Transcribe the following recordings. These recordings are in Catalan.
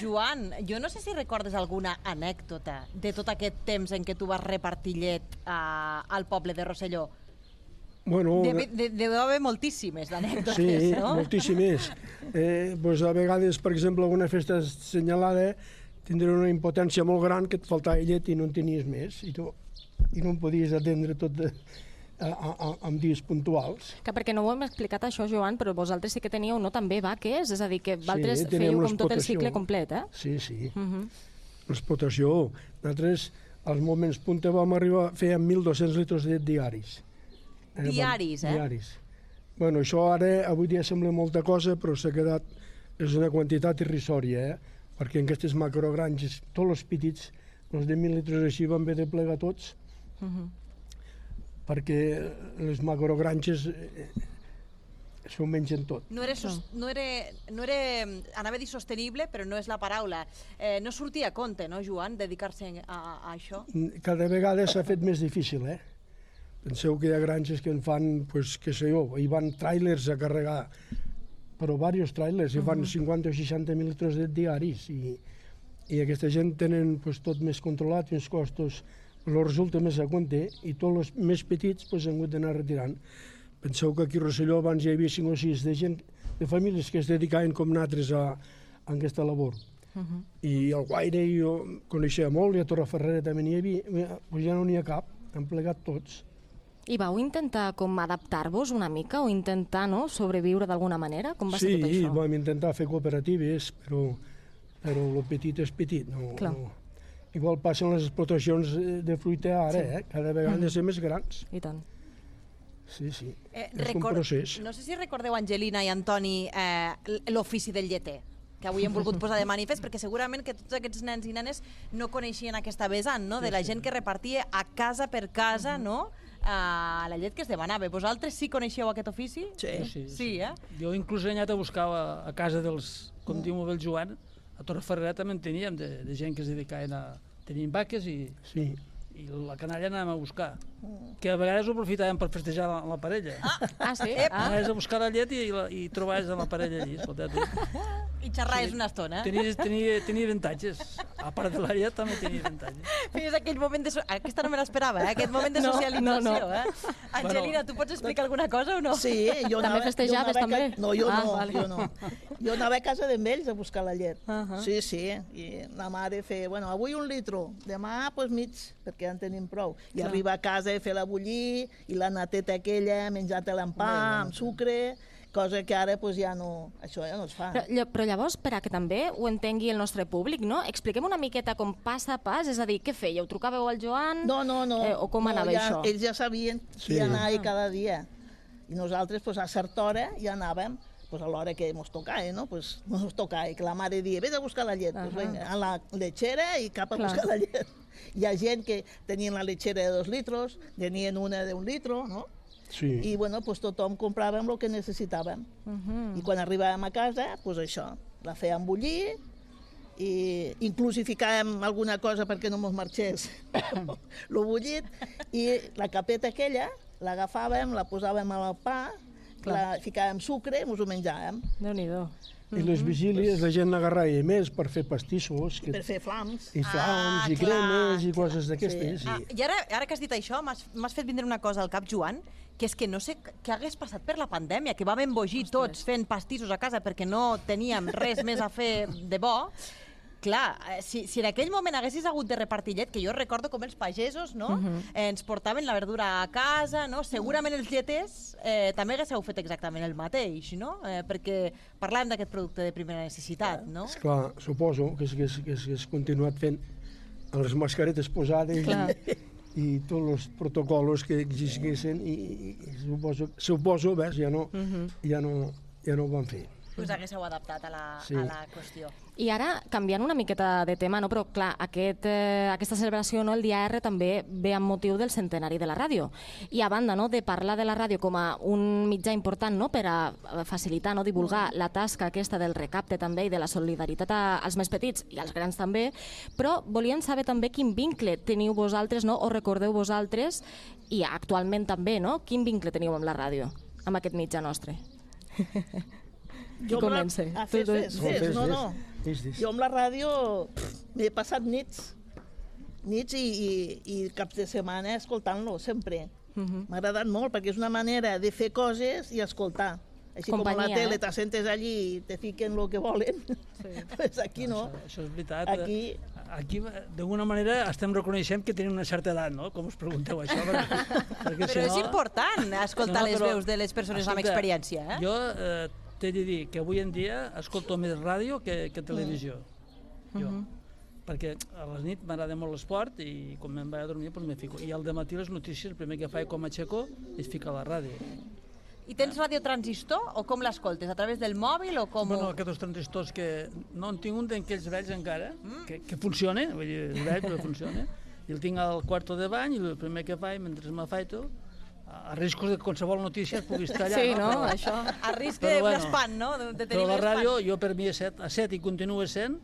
Joan, jo no sé si recordes alguna anècdota de tot aquest temps en què tu vas repartir llet al poble de Rosselló. Bueno, deu haver moltíssimes d'anècdotes, sí, no? moltíssimes. Pues a vegades, per exemple, alguna festa assenyalada tindria una impotència molt gran que et faltava llet i no en tenies més, i no en podies atendre tot en dies puntuals. Que perquè no ho hem explicat això, Joan, però vosaltres sí que teníeu també vaques, és a dir, que vosaltres fèieu com tot el cicle complet, eh? Sí, sí. L'explotació. Nosaltres, als moments punta, vam arribar, fèiem 1.200 litres de llet diaris. Diaris, eh? Diaris. Bueno, això ara, avui dia sembla molta cosa, però s'ha quedat, és una quantitat irrisòria, perquè en aquestes macrogranges, tots els petits, els de 1.000 litres així van haver de plegar tots, perquè les macrogranges s'ho mengen tot. No era, anava a dir sostenible, però no és la paraula. No sortia a compte, no, Joan, dedicar-se a això? Cada vegada s'ha fet més difícil, Penseu que hi ha granges que en fan, pues, què sé jo, hi van tràilers a carregar, però diversos tràilers, hi fan 50 o 60 mil litres de diaris, i aquesta gent tenen pues, tot més controlat, més costos, els resulta més a compte, i tots els més petits pues, han hagut d'anar retirant. Penseu que aquí a Rosselló abans hi havia 5 o 6 de gent, de famílies que es dedicaven com nosaltres a aquesta labor. I al Guaire jo coneixia molt, i a Torreferrera també n'hi havia, pues ja no n'hi ha cap, han plegat tots. I vau intentar com adaptar-vos una mica o intentar sobreviure d'alguna manera? Com va ser tot això? Sí, vam intentar fer cooperatives, però el petit és petit. Igual passen les explotacions de fruita ara, cada vegada han de ser més grans. I tant. Sí, sí, és un procés. No sé si recordeu, Angelina i Antoni, l'ofici del lleter, que avui hem volgut posar de manifest, perquè segurament que tots aquests nens i nenes no coneixien aquesta vessant, no?, de la gent que repartia a casa per casa, no?, la llet que es demanava. Vosaltres sí coneixeu aquest ofici? Sí, Jo inclús he anat a buscar a casa dels, com diu el Joan, a Torreferrera també en teníem, de gent que es dedicaven a... Tenien vaques i la canalla anàvem a buscar, que a vegades ho aprofitàvem per festejar la parella. Sí? Anaves a buscar la llet i trobaves la parella allí, escolta tu. I xerraves una estona. Tenia avantatges. A part de la llet també tenia avantatges. Feies aquell moment de... Aquesta no me l'esperava, aquest moment de socialització. Angelina, tu pots explicar alguna cosa o no? Sí, jo també festejaves, també? No, jo no. Jo anava a casa d'ells a buscar la llet. Sí, i la mare feia, bueno, avui 1 litro, demà pues mig, perquè ja en tenim prou. I arriba a casa a fer-la bullir, i la nateta aquella, menjar-te-la amb pa, amb sucre, cosa que ara pues, això ja no es fa. Però llavors, per a que també ho entengui el nostre públic, no? Expliquem una miqueta com pas a pas, és a dir, què fèieu? Trucàveu al Joan? No. O com anava això? Ells ja sabien qui anava cada dia. I nosaltres pues, a certa hora ja anàvem pues, a l'hora que ens tocava, no? Pues, ens tocava, que la mare dia, vés a buscar la llet, pues, venga, a la lechera i cap a buscar la llet. Hi ha gent que tenien la lechera de 2 litros, tenien una de 1 litro, no? Sí. I bueno, pues, tothom compràvem el que necessitàvem. I quan arribàvem a casa, pues, això, la fèiem bullir, i inclús hi ficàvem alguna cosa perquè no ens marxés lo bullit, i la capeta aquella l'agafàvem, la posàvem al pa, la ficàvem sucre i ens ho menjàvem. Déu-n'hi-do. I les vigílies la gent n'agarrava més per fer pastissos. Per fer flams. I flams, i cremes, i coses d'aquestes. I ara que has dit això, m'has fet vindre una cosa al cap, Joan, que és que no sé què hagués passat per la pandèmia, que vam embogir tots fent pastissos a casa perquè no teníem res més a fer de bo. Clar, si en aquell moment haguessis hagut de repartir llet, que jo recordo com els pagesos, no?, ens portaven la verdura a casa, no?, segurament els lleters també haguéssiu fet exactament el mateix, no?, perquè parlàvem d'aquest producte de primera necessitat, no? Esclar, suposo que s'hagués continuat fent les mascaretes posades i tots els protocols que existissin, i suposo, ja no ho van fer. Us haguéssiu adaptat a la qüestió. I ara, canviant una miqueta de tema, no? Però clar, aquesta celebració, no? El dia R també ve amb motiu del centenari de la ràdio. I a banda, no? De parlar de la ràdio com a un mitjà important, no? Per a facilitar, no? Divulgar la tasca aquesta del recapte també i de la solidaritat als més petits i als grans també, però volien saber també quin vincle teniu vosaltres, no? O recordeu vosaltres, i actualment també, no? Quin vincle teniu amb la ràdio, amb aquest mitjà nostre? Qui comença? Fes. No. Jo amb la ràdio m'he passat nits i caps de setmana escoltant-lo, sempre. M'ha agradat molt, perquè és una manera de fer coses i escoltar. Així Companyia, com a la tele t'assentes allí i te fiquen el que volen, pues aquí no. Això és veritat. Aquí d'alguna manera, estem reconeixent que tenim una certa edat, no? Com us pregunteu això? Perquè Però és important escoltar les veus de les persones amb experiència, eh? Jo t'he de dir que avui en dia escolto més ràdio que televisió. Jo. Perquè a les nit m'agrada molt l'esport i quan me'n vaig a dormir doncs me fico. I al dematí les notícies, el primer que faig com aixeco és ficar la ràdio. I tens radiotransistor o com l'escoltes? A través del mòbil o com... Bueno, aquests transistors que no en tinc un d'aquells vells encara, que funciona, vull dir, és vell però funciona, i el tinc al quarto de bany i el primer que faig, mentre m'afaito, a riscos de qualsevol notícia es pugui estar allà. Sí, no? Això. A risc d'espant, no? De tenir però la ràdio, l'espant. jo per mi a set i continua sent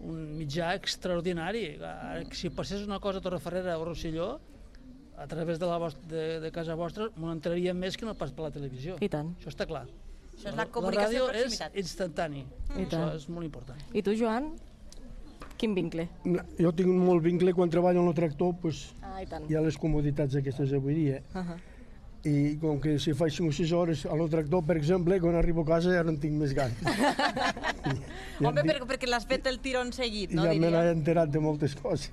un mitjà extraordinari. Si passés una cosa a Torrefarrera o Rosselló, a través de casa vostra, m'ho entraria més que no pas per la televisió. I tant. Això està clar. Això és la comunicació de proximitat. La ràdio és instantani. Això és molt important. I tu, Joan? Quin vincle? Jo tinc molt vincle quan treballo en el tractor, pues, Ah, i tant. hi ha les comoditats aquestes avui dia. I com que si faig 5 o 6 hores a el tractor, per exemple, quan arribo a casa ja no en tinc més ganes. Home, perquè l'has fet el tirón seguit, no? Ja me n'he Diria. enterat de moltes coses.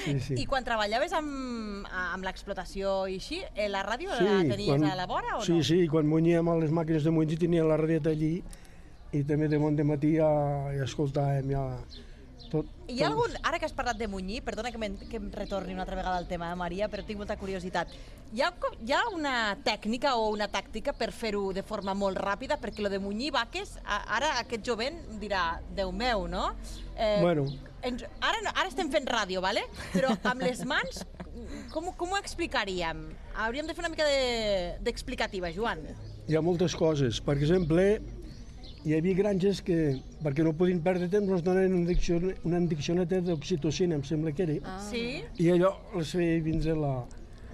Sí. I quan treballaves amb l'explotació i així, la ràdio la tenies a la vora o no? Sí, quan munyíem a les màquines de munyir tenia la radieta allí i també de bon matí ja escoltàvem ja tot. Hi ha algun, ara que has parlat de munyir, perdona que em retorni una altra vegada al tema, Maria, però tinc molta curiositat. Hi ha una tècnica o una tàctica per fer-ho de forma molt ràpida? Perquè lo de munyir vaques, ara aquest jovent dirà, Déu meu, no? Bueno. Ara estem fent ràdio, ¿vale? Però amb les mans, com ho explicaríem? Hauríem de fer una mica d'explicativa, Joan. Hi ha moltes coses. Per exemple, hi havia granges que, perquè no podien perdre temps, ens donen una diccioneta d'oxitocina, em sembla que era. Sí? I allò les feia vindre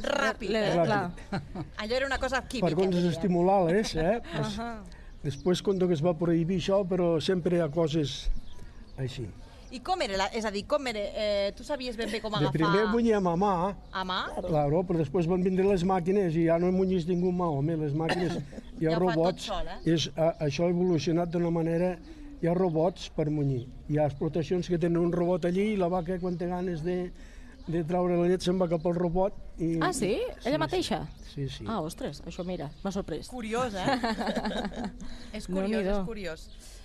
Ràpid. Allò era una cosa química. per coses estimulades, pues, després, quan es va prohibir això, però sempre hi ha coses així. I com era? És a dir, com era? Tu sabies ben bé com De agafar... primer munyíem a mà, A mà? claro, però després van vindre les màquines i ja no munyís ningú mà, home, les màquines, hi ha Ja ho fa tot robots, sol, això ha evolucionat d'una manera, hi ha robots per munyir, hi ha explotacions que tenen un robot allí i la vaca quan té ganes de traure la llet se'n va cap al robot. I, Ah, sí? Ella mateixa? Sí, sí. Ah, ostres, això mira, m'ha sorprès. Curiós, eh? És curiós, és curiós.